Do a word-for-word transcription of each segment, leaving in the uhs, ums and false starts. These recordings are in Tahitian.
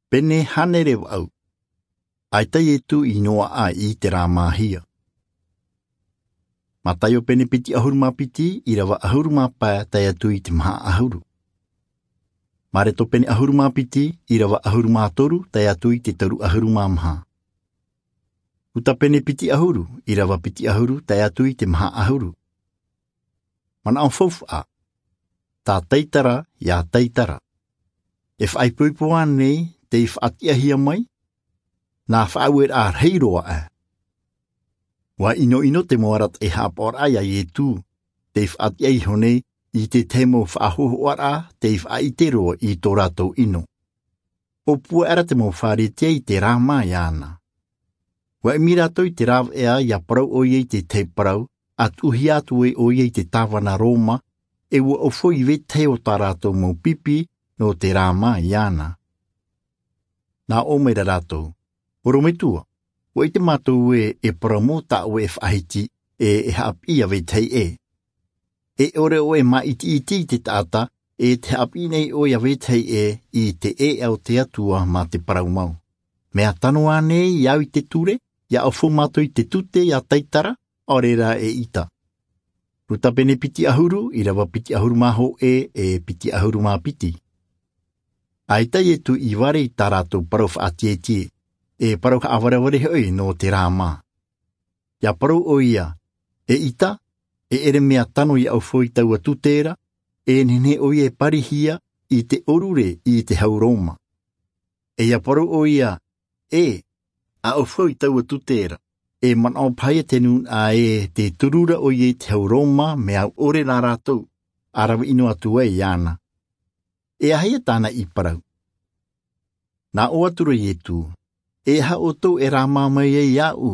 Pene hānere vaʻu. ʻAita iesu i noaʻa i te rāmāhia. Mataio pene piti ʻahuru mā piti, ʻirava ʻahuru mā pae tae atu i te maha ʻahuru. Mareko pene ʻahuru mā piti, ʻirava ʻahuru mā toru tae atu i te toru ʻahuru mā maha. Luka pene piti ʻahuru, ʻirava piti ʻahuru tae atu i te maha ʻahuru. Manaʻo faufaʻa. Tā taitara iā taitara. E faʻaipoipo ānei tei faʻatiʻahia mai? Nā faʻaueraʻa rahi roa ʻā. Ua ʻinoʻino te mau arataʻi haʻapaʻoraʻa iā iesu tei faʻatiʻa iho nei i te tahi mau faʻahōhoʻaraʻa tei faʻaʻite roa i tō rātou ʻino. ʻO puaʻera te mau pharisea i te rāmā iāna. Ua ʻimi rātou i te rāveʻa ia parau ʻoia i te tahi parau, a tuʻuhia atu ai ʻoia i te tāvana roma, e ua ʻaufau i vetahi o tā rātou mau pipi nō te rāmā iāna. Nā ʻō mai ra rātou, ʻorometua, ua ʻite mātou ē e parau mau tā ʻoe e faʻahiti, e e haʻapiʻi iā vetahi ʻē. E ʻore ʻoe e māʻitiʻiti i te taʻata, e te haʻapiʻi nei ʻoe iā vetahi ʻē i te ʻēʻa o te atua mā te parau mau. Mea tano ānei iā au i te ture, ia ʻaufau mātou i te tute iā taitara, ʻaore rā e ʻita. Luka pene piti ʻahuru, ʻirava piti ʻahuru mā hōʻē e piti ʻahuru mā piti. ʻAita iesu i vare i tā rātou parau faʻatietie, e parau haʻavarevare hoʻi nō te rāmā. Ia parau ʻoia, e ʻita, e ʻere mea tano ia ʻaufau i taua tute ra, e nehenehe ʻoia e parihia i te ʻorure i te hau roma. E ia parau ʻoia, ʻē, a ʻaufau i taua tute ra, e manaʻo paha ia te nūnaʻa ē te turu ra ʻoia i te hau roma mea au ʻore rā rātou, a rave ʻino atu ai iāna. E aha ia tāna i parau? Nā ʻō atu ra iesu, e aha ʻoutou e rāmā mai ai iāʻu?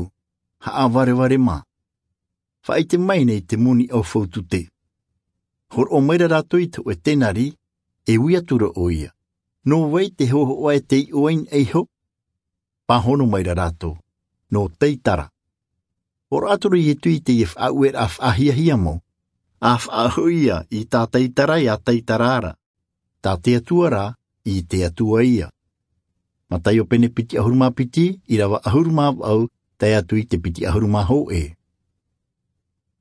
Haʻavarevare mā. Faʻaʻite mai nei te moni ʻaufau tute. Horoʻa mai ra rātou i te hōʻē tenari, e ui atu ra ʻoia, nō vai te hōhoʻa e tei iʻo ai na iho? Pāhono mai ra rātou, nō taitara. Horoʻa atu ra iesu i teie faʻaueraʻa faʻahiahia mau, a faʻahoʻi ia i tā taitara iā taitara ra, tā te atua rā i te atua ia. Mataio pene piti ʻahuru mā piti, ʻirava ʻahuru mā vaʻu tae atu i te piti ʻahuru mā hōʻē.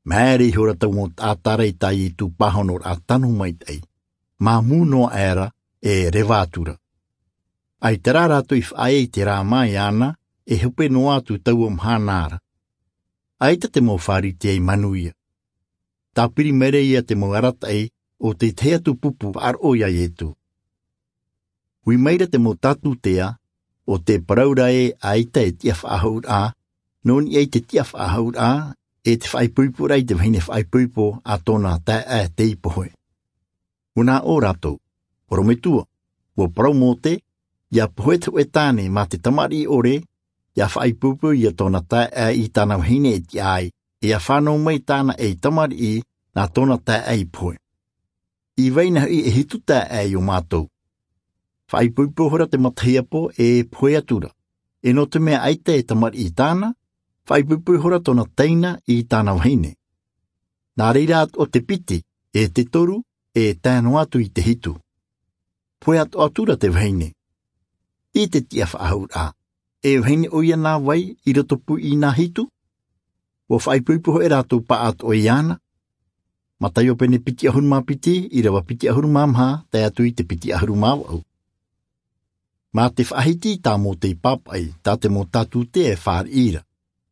Māere ihora taua mau taʻata ra i tā iesu pāhonoraʻa tano maitaʻi, māmū noa aʻera, e reva atu ra. ʻAita rā rātou i faʻaea i te rāmā iāna, e hope noa atu taua mahana ra. ʻAita te mau pharisea i manuia. Tāpiri mai ra ia te mau arataʻi o te tahi atu pupu faʻaroʻo iā iesu. Ui mai ra te mau tātutea, o te parau ra ē ʻaita e tiʻa faʻahou ra, nō niʻa i te tiʻa faʻahou ra, e te faʻaipoiporaʻa i te vahine faʻaipoipo a tōna taeaʻe tei pohe. Ua nā ʻō rātou, ʻorometua, ua parau mose, ia pohe te hōʻē tāne mā te tamariʻi ʻore, ia faʻaipoipo ia tōna taeaʻe i tāna vahine e tiʻa ai, e ia fānau mai tāna ʻē tamariʻi nā tōna taeaʻe i pohe. I vai na hoʻi e hitu taeaʻe iō mātou? Faʻaipoipo ihora te matahiapo e pohe atu ra, e nō te mea ʻaita e tamariʻi tāna, faʻaipoipo ihora tōna teina i tāna vahine. Nā reira atoʻa te piti, e te toru, e tae noa atu i te hitu. Pohe atoʻa atura te vahine. I te tiʻa faʻahou ra, e vahine ʻoia nā vai i rotopū i nā hitu? Ua faʻaipoipo hoʻi rātou pāʻatoʻa iāna. Mataio pene piti ʻahuru mā piti, ʻirava piti ʻahuru mā maha tae atu i te piti ʻahuru mā vaʻu. Mā te faʻahiti i tā mose i pāpaʻi, tā te mau tātutea e fāriʻi ra,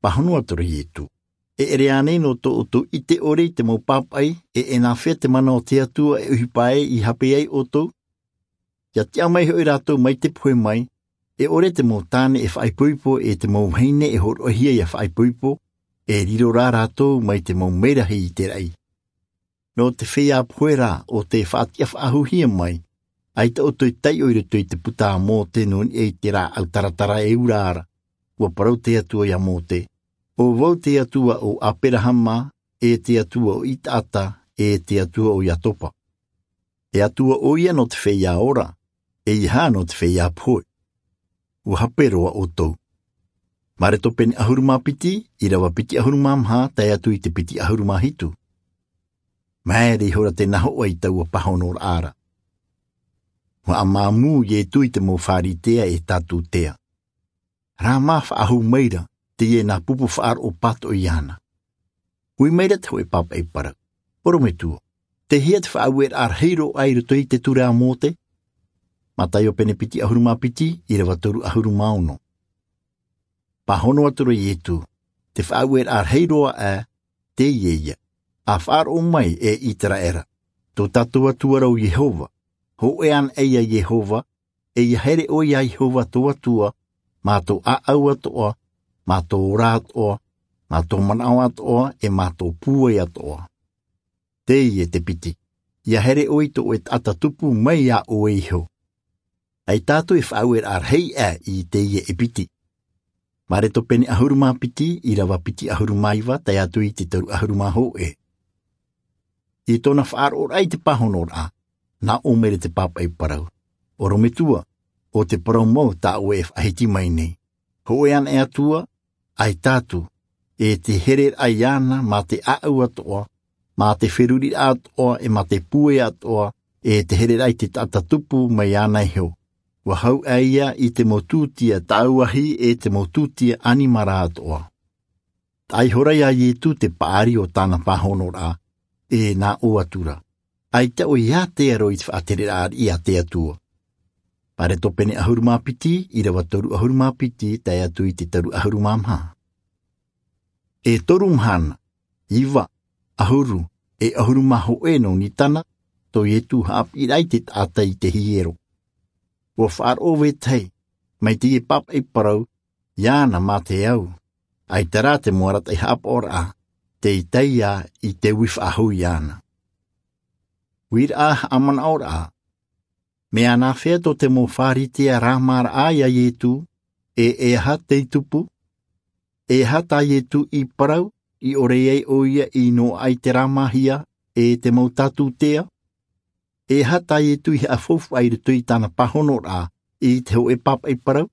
pāhono atu ra iesu. E ʻere ānei nō tō ʻoutou ʻite ʻore i te mau pāpaʻi, e e nāfea te mana o te atua e ʻohipa ai i hape ai ʻoutou? Ia tiʻa mai hoʻi rātou mai te pohe mai, e ʻore te mau tāne e faʻaipoipo e te mau vahine e hōroʻahia ia faʻaipoipo, e riro rā rātou mai te mau merahi i te raʻi. Nō te feiā pohe rā o te faʻatiʻa faʻahouhia mai, ʻaita ʻoutou e taiʻo i roto i te puta a mose nō niʻa i te rāʻau taratara e ura ra. Ua parau te atua iā mose, ʻo vau te atua o aperahama, e te atua o isaaka, e te atua o iakoba. E atua ʻoia nō te feiā ora, e ia nō te feiā pohe. Ua hape roa ʻoutou. Mareko pene ʻahuru mā piti, ʻirava piti ʻahuru mā maha tae atu i te piti ʻahuru mā hitu. Māere ihora te nahoʻa i taua pāhonoraʻa ra. Ua haʻamāmū iesu i te mau pharisea e sāducea. Rā mā faʻahou maira teie nā pupu faʻaroʻo pātoʻi iāna. Ui maira te hoʻe pāpaʻi parau, orometua, tei hea te faʻaueraʻa rahi roa i roto i te ture a mose? Mataio pene piti ʻahuru mā piti, ʻirava toru ʻahuru mā ono. Pāhono atu ra iesu, te faʻaueraʻa rahi roa ʻā, teie ia, a faʻaroʻo mai e iseraela, tō tātou atua ra ʻo iehova, hōʻē ana ʻē ia iehova, e ia here ʻoe iā iehova tō atua, mā tō ʻāʻau atoʻa, mā tō ora atoʻa, mā tō manaʻo atoʻa, e mā tō pūai atoʻa. Teie te piti, ia here ʻoe i tō ʻoe taʻata tupu mai iā ʻoe iho. ʻAi tātou e faʻaueraʻa rahi ʻā i teie e piti. Mareko pene ʻahuru mā piti, ʻirava piti ʻahuru mā iva tae atu i te toru ʻahuru mā hōʻē. I tōna faʻaroʻoraʻa i te pāhonoraʻa, nā ʻō maira te pāpaʻi parau, orometua, ʻo te parau mau tā ʻoe e faʻahiti mai nei, hōʻē ana ʻē atua, ʻai tātou, e te hereraʻa iāna mā te ʻāʻau atoʻa, mā te feruriraʻa atoʻa, e mā te pūai atoʻa, e te hereraʻa i te taʻata tupu mai iāna iho. Ua hau ʻā ia i te mau tūtia tāuahi e te mau tūtia ʻanimara atoʻa. Taʻa ihora iā iesu te paʻari o tāna pāhonoraʻa, e nā ʻō atu ra, ʻaita ʻoe ia te aro i te faʻatereraʻa a te atua. Mareko pene ʻahuru mā piti, ʻirava toru ʻahuru mā piti tae atu i te toru ʻahuru mā maha. E toru mahana, iva, ʻahuru, e ʻahuru mā hōʻē nō nisana, tō iesu haʻapiʻiraʻa i te taʻata i te hiero. Ua faʻaroʻo vetahi mai teie pāpaʻi parau iāna mā te au, ʻaita rā te mau arataʻi haʻapaʻoraʻa, tei tae ia i te ui faʻahou iāna. Uiraʻa haʻamanaʻoraʻa. Mea nāfea tō te mau pharisea rāmāraʻa iā iesu? E e aha tei tupu? E aha tā iesu i parau i ʻore ai ʻoia i noaʻa i te rāmāhia e te mau sāducea? E aha tā iesu i haʻafaufaʻa i roto i tāna pāhonoraʻa i te hoʻe pāpaʻi parau?